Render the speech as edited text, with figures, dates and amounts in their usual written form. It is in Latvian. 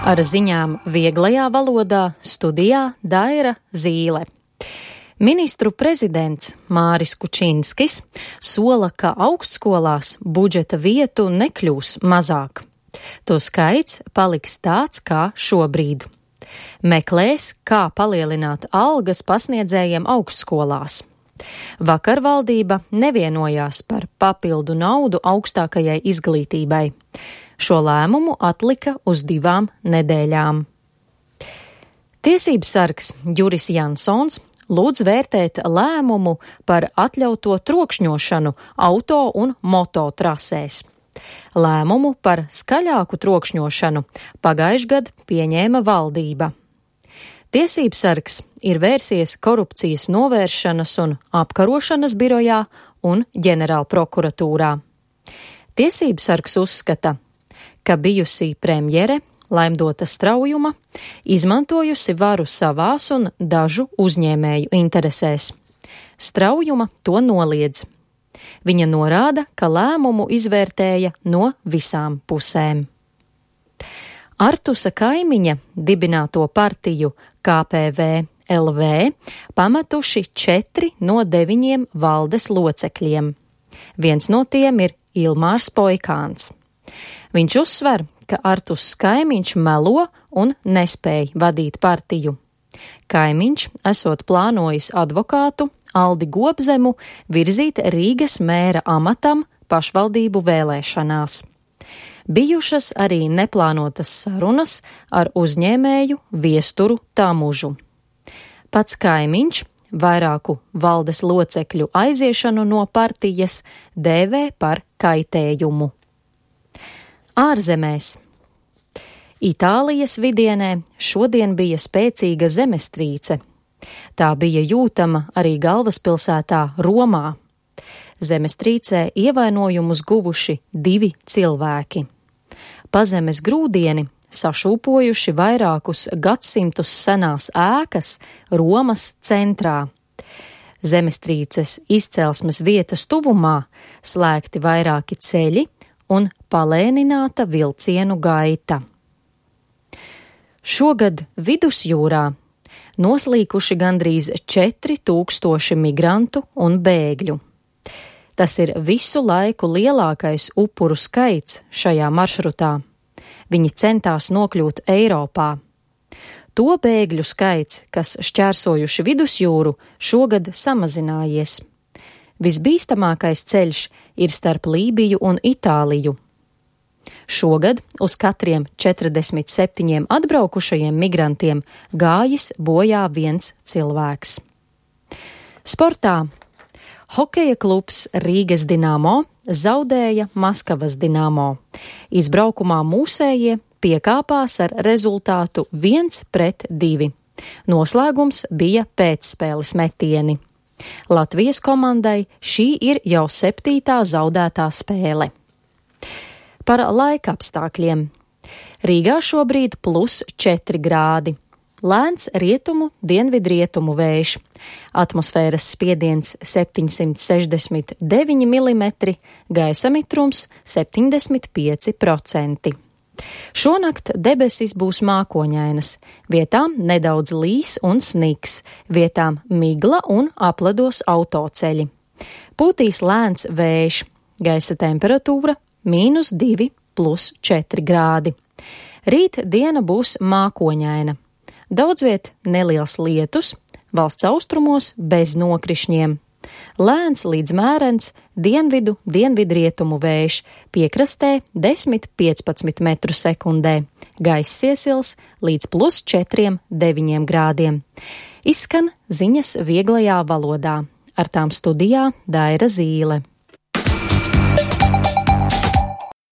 Ar ziņām vieglajā valodā studijā Daira Zīle. Ministru prezidents Māris Kučinskis sola, ka augstskolās budžeta vietu nekļūs mazāk. To skaits paliks tāds kā šobrīd. Meklēs, kā palielināt algas pasniedzējiem augstskolās. Vakar valdība nevienojās par papildu naudu augstākajai izglītībai. Šo lēmumu atlika uz 2 nedēļām. Tiesības sargs Juris Jansons lūdz vērtēt lēmumu par atļauto trokšņošanu auto un moto trasēs. Lēmumu par skaļāku trokšņošanu pagājušajā gadā pieņēma valdība. Tiesības sargs ir vērsies korupcijas novēršanas un apkarošanas birojā un ģenerālprokuratūrā. Tiesības sargs uzskata, ka bijusī premjere Laimdota Straujuma izmantojusi varu savās un dažu uzņēmēju interesēs. Straujuma to noliedz. Viņa norāda, ka lēmumu izvērtēja no visām pusēm. Artusa Kaimiņa dibināto partiju KPV LV pametuši 4 no 9 valdes locekļiem. Viens no tiem ir Ilmārs Poikāns. Viņš uzsver, ka Artus Kaimiņš melo un nespēja vadīt partiju. Kaimiņš esot plānojis advokātu Aldi Gobzemu virzīt Rīgas mēra amatam pašvaldību vēlēšanās. Bijušas arī neplānotas sarunas ar uzņēmēju Viesturu Tamužu. Pats Kaimiņš vairāku valdes locekļu aiziešanu no partijas dēvē par kaitējumu. Ārzemēs. Itālijas vidienē šodien bija spēcīga zemestrīce. Tā bija jūtama arī galvaspilsētā Romā. Zemestrīcē ievainojumus guvuši 2 cilvēki. Pazemes grūdieni sašūpojuši vairākus gadsimtus senās ēkas Romas centrā. Zemestrīces izcelsmes vietas tuvumā slēgti vairāki ceļi un palēnināta vilcienu gaita. Šogad vidusjūrā noslīkuši gandrīz 4000 migrantu un bēgļu. Tas ir visu laiku lielākais upuru skaits šajā maršrutā. Viņi centās nokļūt Eiropā. To bēgļu skaits, kas šķērsojuši vidusjūru, šogad samazinājies. Visbīstamākais ceļš ir starp Lībiju un Itāliju. Šogad uz katriem 47 atbraukušajiem migrantiem gājis bojā 1 cilvēks. Sportā. Hokeja klubs Rīgas Dinamo zaudēja Maskavas Dinamo. Izbraukumā mūsējie piekāpās ar rezultātu 1-2. Noslēgums bija pēcspēles metieni. Latvijas komandai šī ir jau 7. zaudētā spēle. Par laika apstākļiem. Rīgā šobrīd +4 grādi. Lēns rietumu, dienvidrietumu vējš. Atmosfēras spiediens 769 mm, gaisa mitrums 75%. Šonakt debesis būs mākoņainas, vietām nedaudz līs un sniks, vietām migla un apledos autoceļi. Pūtīs lēns vējš, gaisa temperatūra -2 +4 grādi. Rīt diena būs mākoņaina. Daudzviet neliels lietus, valsts austrumos bez nokrišņiem. Lēns līdz mērens dienvidrietumu vējš, piekrastē 10–15 m/sekundē, gaiss iesils līdz +4–9 grādiem. Izskan ziņas vieglajā valodā. Ar tām studijā Daira Zīle.